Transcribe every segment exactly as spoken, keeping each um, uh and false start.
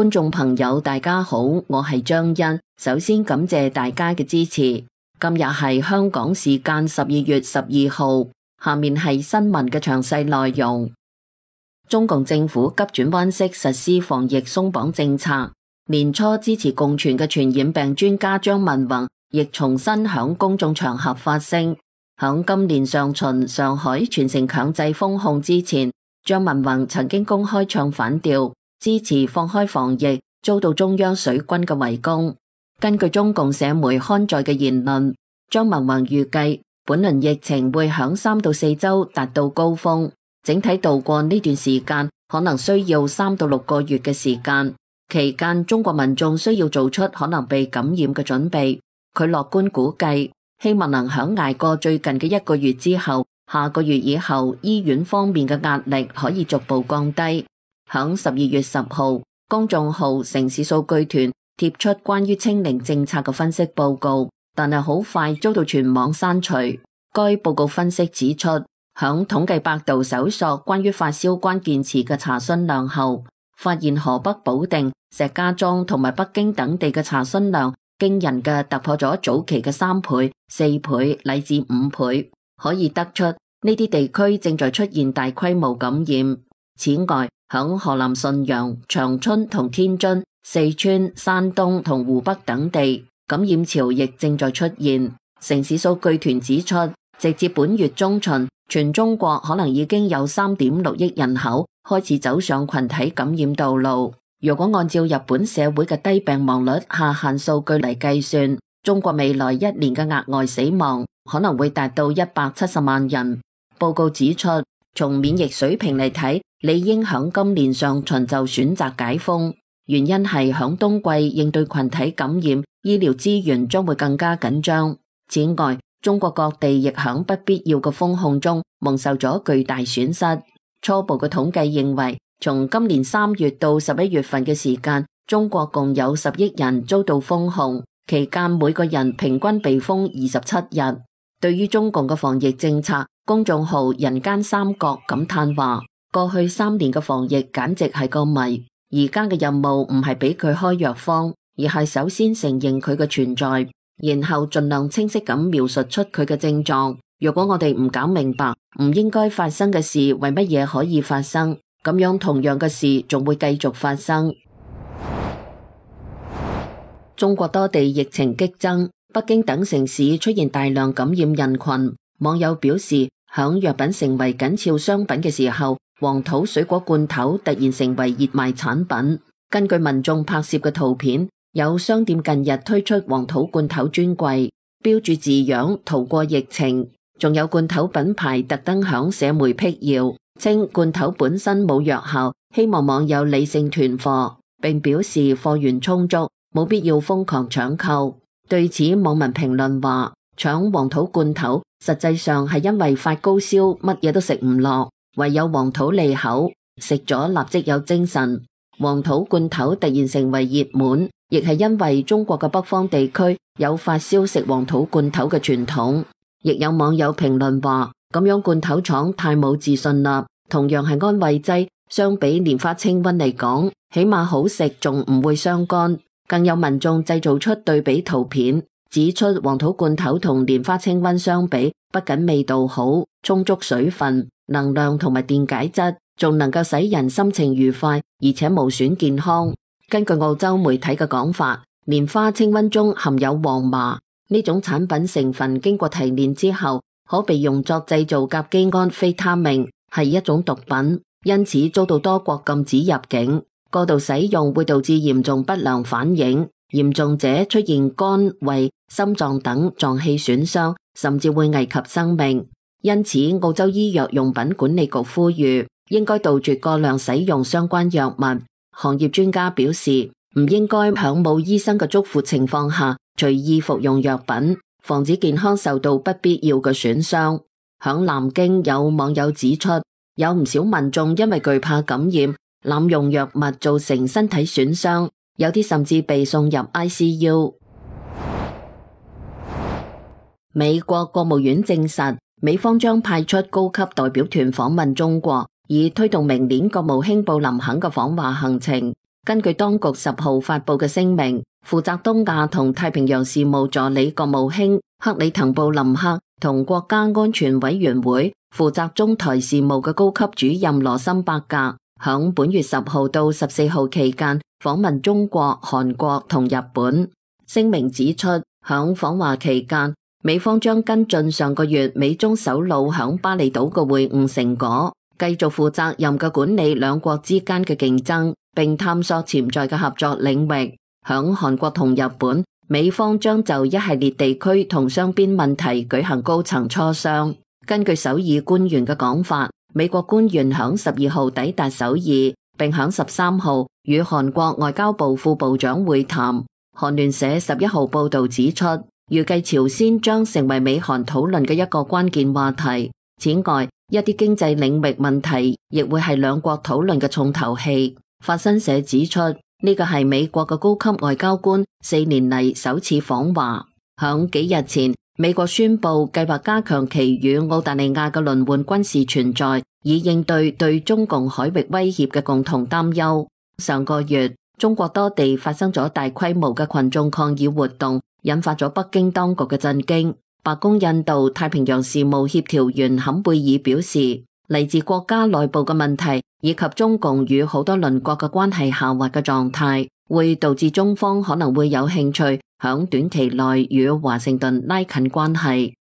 觀眾朋友大家好，我係張欣，首先感謝大家嘅支持。今日係香港時間十二月十二號，下面係新聞嘅詳細內容。中共政府急轉彎式實施防疫鬆綁政策，年初支持共存嘅傳染病專家張文宏亦重新響公眾場合發聲。響今年上旬上海全城強制封控之前，張文宏曾經公開唱反調，支持放開防疫，遭到中央水軍嘅圍攻。根據中共社媒刊載嘅言論，張文宏預計本輪疫情會響三到四周達到高峰，整體度過呢段時間可能需要三到六個月嘅時間。期間中國民眾需要做出可能被感染嘅準備。佢樂觀估計，希望能響捱過最近嘅一個月之後，下個月以後醫院方面嘅壓力可以逐步降低。響十二月十號，公眾號城市數據團貼出關於清零政策嘅分析報告，但係好快遭到全網刪除。該報告分析指出，響統計百度搜索關於發燒關鍵詞嘅查詢量後，發現河北保定、石家莊同埋北京等地嘅查詢量驚人嘅突破咗早期嘅三倍、四倍乃至五倍，可以得出呢啲地區正在出現大規模感染。此外，響河南信陽、長春同天津、四川、山東同湖北等地，感染潮亦正在出現。城市數據團指出，直至本月中旬，全中國可能已經有三點六億人口開始走上群體感染道路。如果按照日本社會嘅低病亡率下限數據嚟計算，中國未來一年嘅額外死亡可能會達到一百七十萬人。報告指出，從免疫水平嚟睇，理應響今年上旬就選擇解封，原因係響冬季應對群體感染，醫療資源將會更加緊張。此外，中國各地亦響不必要嘅封控中蒙受咗巨大損失。初步嘅統計認為，從今年三月到十一月份嘅時間，中國共有十億人遭到封控，期間每個人平均被封二十七日。對於中共嘅防疫政策，公眾號人間三角感嘆話：過去三年嘅防疫簡直係個謎，而家嘅任務唔係俾佢開藥方，而係首先承認佢嘅存在，然後盡量清晰咁描述出佢嘅症狀。如果我哋唔搞明白唔應該發生嘅事為乜嘢可以發生，咁樣同樣嘅事仲會繼續發生。中國多地疫情激增，北京等城市出現大量感染人群。網友表示，響藥品成為緊俏商品嘅時候，黃土水果罐頭突然成為熱賣產品。根據民眾拍攝嘅圖片，有商店近日推出黃土罐頭專櫃，標注字樣逃過疫情，仲有罐頭品牌特登響社媒闢謠，稱罐頭本身冇藥效，希望網友理性囤貨，並表示貨源充足，冇必要瘋狂搶購。對此，網民評論話，搶黃土罐頭實際上係因為發高燒，乜嘢都食唔落，唯有黃土利口，食咗立即有精神。黃土罐頭突然成為熱門，亦係因為中國嘅北方地區有發燒食黃土罐頭嘅傳統。亦有網友評論話，咁樣罐頭廠太冇自信啦，同樣係安慰劑，相比蓮花清瘟嚟講，起碼好食，仲唔會傷肝。更有民眾製造出對比圖片，指出黃土罐頭同蓮花清瘟相比，不僅味道好，充足水分、能量同埋電解質，仲能夠使人心情愉快，而且無損健康。根據澳洲媒體嘅講法，蓮花清瘟中含有黃麻，呢種產品成分經過提煉之後，可被用作製造甲基胺非他命，係一種毒品，因此遭到多國禁止入境。過度使用會導致嚴重不良反應，嚴重者出現肝、胃、心臟等臟器損傷，甚至會危及生命。因此，澳洲醫藥用品管理局呼籲，應該杜絕過量使用相關藥物。行業專家表示，唔應該響冇醫生嘅囑咐情況下隨意服用藥品，防止健康受到不必要嘅損傷。響南京有網友指出，有唔少民眾因為懼怕感染，濫用藥物造成身體損傷，有啲甚至被送入 I C U。 美國國務院證實，美方將派出高級代表團訪問中國，以推動明年國務卿布林肯嘅訪華行程。根據當局十號發布嘅聲明，負責東亞同太平洋事務助理國務卿克里滕布林克同國家安全委員會負責中台事務嘅高級主任羅森伯格，響本月十號到十四號期間訪問中國、韓國同日本。聲明指出，響訪華期間，美方將跟進上個月美中首腦響巴厘島嘅會晤成果，繼續負責任嘅管理兩國之間嘅競爭，並探索潛在嘅合作領域。響韓國同日本，美方將就一系列地區同雙邊問題舉行高層磋商。根據首爾官員嘅講法，美國官員響十二號抵達首爾，並響十三號與韓國外交部副部長會談。韓聯社十一號報道指出，預計朝鮮將成為美韓討論嘅一個關鍵話題。此外，一啲經濟領域問題亦會係兩國討論嘅重頭戲。法新社指出，呢個係美國嘅高級外交官四年嚟首次訪華。響幾日前，美國宣布計劃加強其與澳大利亞嘅輪換軍事存在，以應對對中共海域威脅嘅共同擔憂。上個月，中國多地發生咗大規模嘅群眾抗議活動，引發咗北京當局嘅震驚。白宮印度太平洋事務協調員坎貝爾表示，嚟自國家內部嘅問題以及中共與好多鄰國嘅關係下滑嘅狀態，會導致中方可能會有興趣響短期內與華盛頓拉近關係。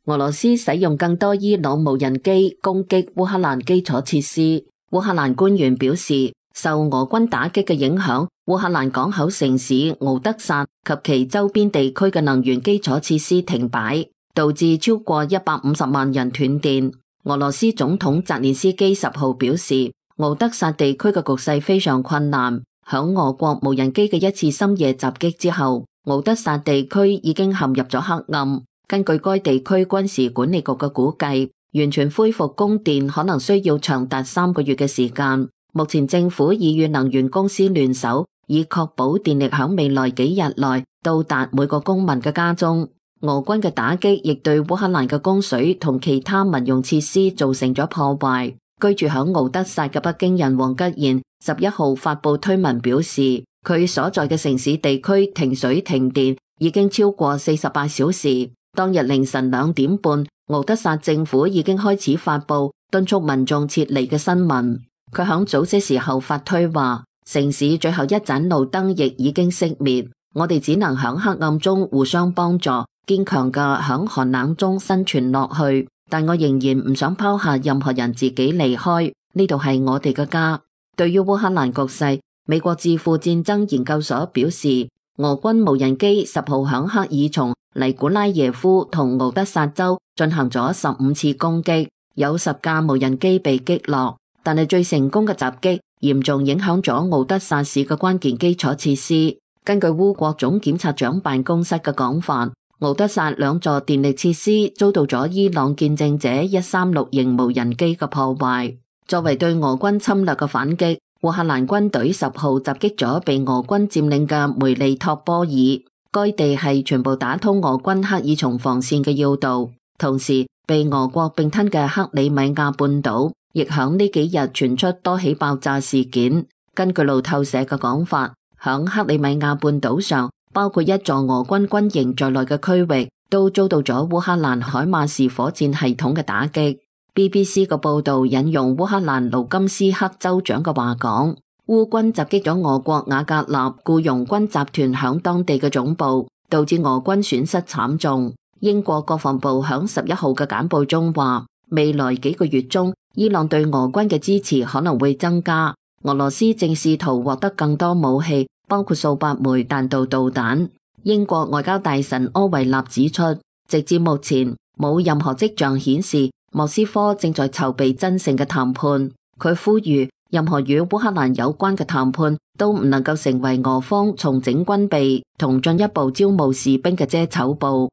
俄羅斯使用更多伊朗無人機攻擊烏克蘭基礎設施。烏克蘭官員表示，受俄軍打擊嘅影響，烏克蘭港口城市敖德薩及其周邊地區嘅能源基礎設施停擺，導致超過一百五十萬人斷電。俄羅斯總統澤連斯基十號表示，敖德薩地區嘅局勢非常困難。響俄國無人機嘅一次深夜襲擊之後，敖德薩地區已經陷入咗黑暗。根據該地區軍事管理局嘅估計，完全恢復供電可能需要長達三個月嘅時間。目前政府已與能源公司聯手，以確保電力響未來幾日內到達每個公民嘅家中。俄軍嘅打擊亦對烏克蘭嘅供水同其他民用設施造成咗破壞。居住響敖德薩嘅北京人王吉賢十一號發布推文表示，佢所在嘅城市地區停水停電已經超過四十八小時。當日凌晨兩點半，敖德薩政府已經開始發布敦促民眾撤離嘅新聞。佢響早些時候發推話，城市最後一盞路燈亦已經熄滅，我哋只能響黑暗中互相幫助，堅強嘅響寒冷中生存落去。但我仍然唔想拋下任何人自己離開，呢度係我哋嘅家。對於烏克蘭局勢，美國智庫戰爭研究所表示，俄軍無人機十號響克爾松、尼古拉耶夫同敖德薩州進行咗十五次攻擊，有十架無人機被擊落。但係最成功嘅襲擊嚴重影響咗敖德薩市嘅關鍵基礎設施。根據烏國總檢察長辦公室嘅講法，敖德薩兩座電力設施遭到咗伊朗見證者一三六型無人機嘅破壞。作為對俄軍侵略嘅反擊，烏克蘭軍隊十號襲擊咗被俄軍佔領嘅梅利托波爾，該地係全部打通俄軍克爾松防線嘅要道。同時，被俄國併吞嘅克里米亞半島亦響呢幾日傳出多起爆炸事件。根據路透社嘅講法，響克里米亞半島上，包括一座俄軍軍營在內嘅區域，都遭到咗烏克蘭海馬士火箭系統嘅打擊。B B C 嘅報道引用烏克蘭盧甘斯克州長嘅話講，烏軍襲擊咗俄國瓦格納僱傭軍集團響當地嘅總部，導致俄軍損失慘重。英國國防部響十一號嘅簡報中話，未來幾個月中，伊朗對俄軍嘅支持可能會增加。俄羅斯正試圖獲得更多武器，包括數百枚彈道導彈。英國外交大臣柯維納指出，直至目前冇任何跡象顯示莫斯科正在籌備真正嘅談判。佢呼籲任何與烏克蘭有關嘅談判都唔能夠成為俄方重整軍備同進一步招募士兵嘅遮醜布。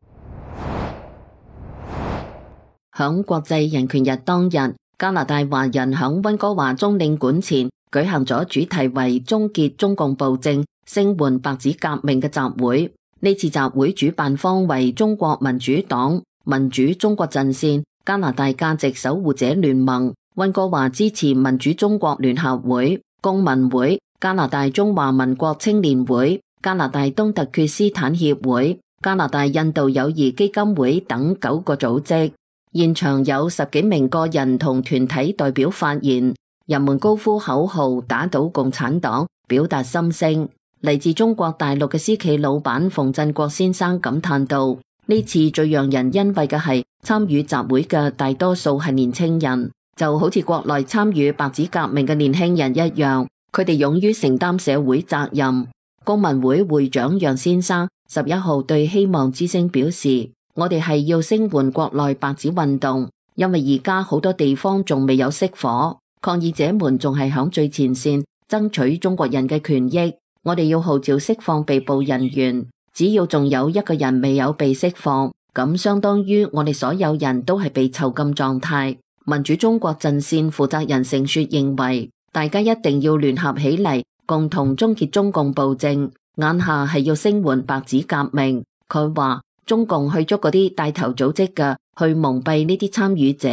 響國際人權日當日，加拿大華人響溫哥華中領館前舉行咗主題為終結中共暴政、聲援白紙革命嘅集會。呢次集會主辦方為中國民主黨、民主中國陣線、加拿大價值守護者聯盟、溫哥華支持民主中國聯合會、公民會、加拿大中華民國青年會、加拿大東突厥斯坦協會、加拿大印度友誼基金會等九個組織。現場有十幾名個人同團體代表發言，人們高呼口號，打倒共產黨，表達心聲。嚟自中國大陸嘅私企老闆馮振國先生感嘆道：呢次最讓人欣慰嘅係參與集會嘅大多數係年輕人，就好似國內參與白紙革命嘅年輕人一樣，佢哋勇於承擔社會責任。公民會會長楊先生十一號對希望之聲表示：我哋係要聲援國內白紙運動，因為而家好多地方仲未有熄火，抗議者們仲係響最前線爭取中國人嘅權益。我哋要號召釋放被捕人員，只要仲有一個人未有被釋放，咁相當於我哋所有人都係被囚禁狀態。民主中國陣線負責人盛雪認為，大家一定要聯合起嚟，共同終結中共暴政。眼下係要聲援白紙革命。佢話中共去捉嗰啲帶頭組織嘅，去蒙蔽呢啲參與者，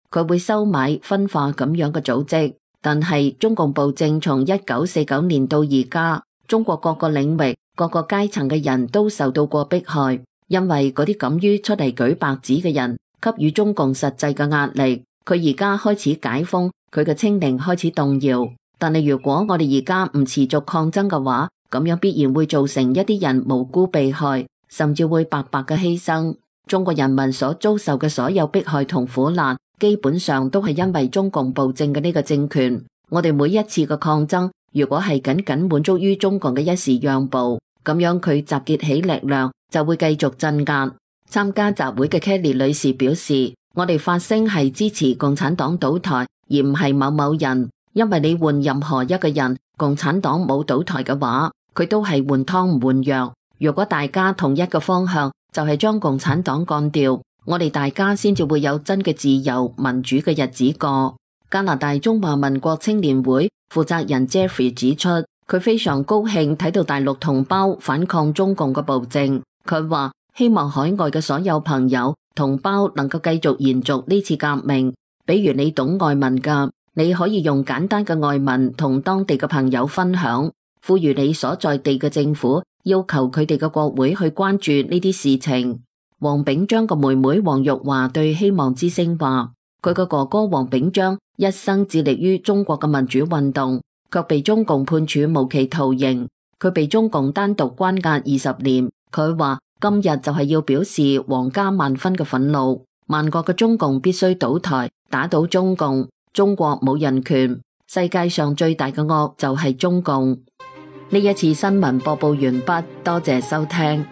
佢會收買分化咁樣嘅組織。但係中共暴政從一九四九年到而家，中國各個領域、各個階層嘅人都受到過迫害，因為嗰啲敢於出嚟舉白紙嘅人，給予中共實際嘅壓力。佢而家開始解封，佢嘅清零開始動搖。但係如果我哋而家唔持續抗爭嘅話，咁樣必然會造成一啲人無辜被害，甚至會白白嘅犧牲。中國人民所遭受嘅所有迫害同苦難，基本上都係因為中共暴政嘅呢個政權。我哋每一次嘅抗爭，如果係僅僅滿足於中共嘅一時讓步，咁樣佢集結起力量就會繼續鎮壓。參加集會嘅 Kelly 女士表示：我哋發聲係支持共產黨倒台，而唔係某某人。因為你換任何一個人，共產黨冇倒台嘅話，佢都係換湯唔換藥。如果大家同一個方向，就係將共產黨幹掉，我哋大家先至會有真嘅自由民主嘅日子過。加拿大中華民國青年會負責人 Jeffrey 指出，佢非常高興睇到大陸同胞反抗中共嘅暴政。佢話希望海外嘅所有朋友同胞能夠繼續延續呢次革命。比如你懂外文㗎，你可以用簡單嘅外文同當地嘅朋友分享，呼籲你所在地嘅政府要求佢哋嘅國會去關注呢啲事情。黃炳章嘅妹妹黃玉華對希望之聲話，佢嘅哥哥黃炳章一生致力於中國嘅民主運動，卻被中共判處無期徒刑。佢被中共單獨關押二十年。佢話今日就係要表示皇家萬分嘅憤怒，萬國嘅中共必須倒台，打倒中共。中國冇人權，世界上最大嘅惡就係中共。呢一次新聞播報完畢，多謝收聽。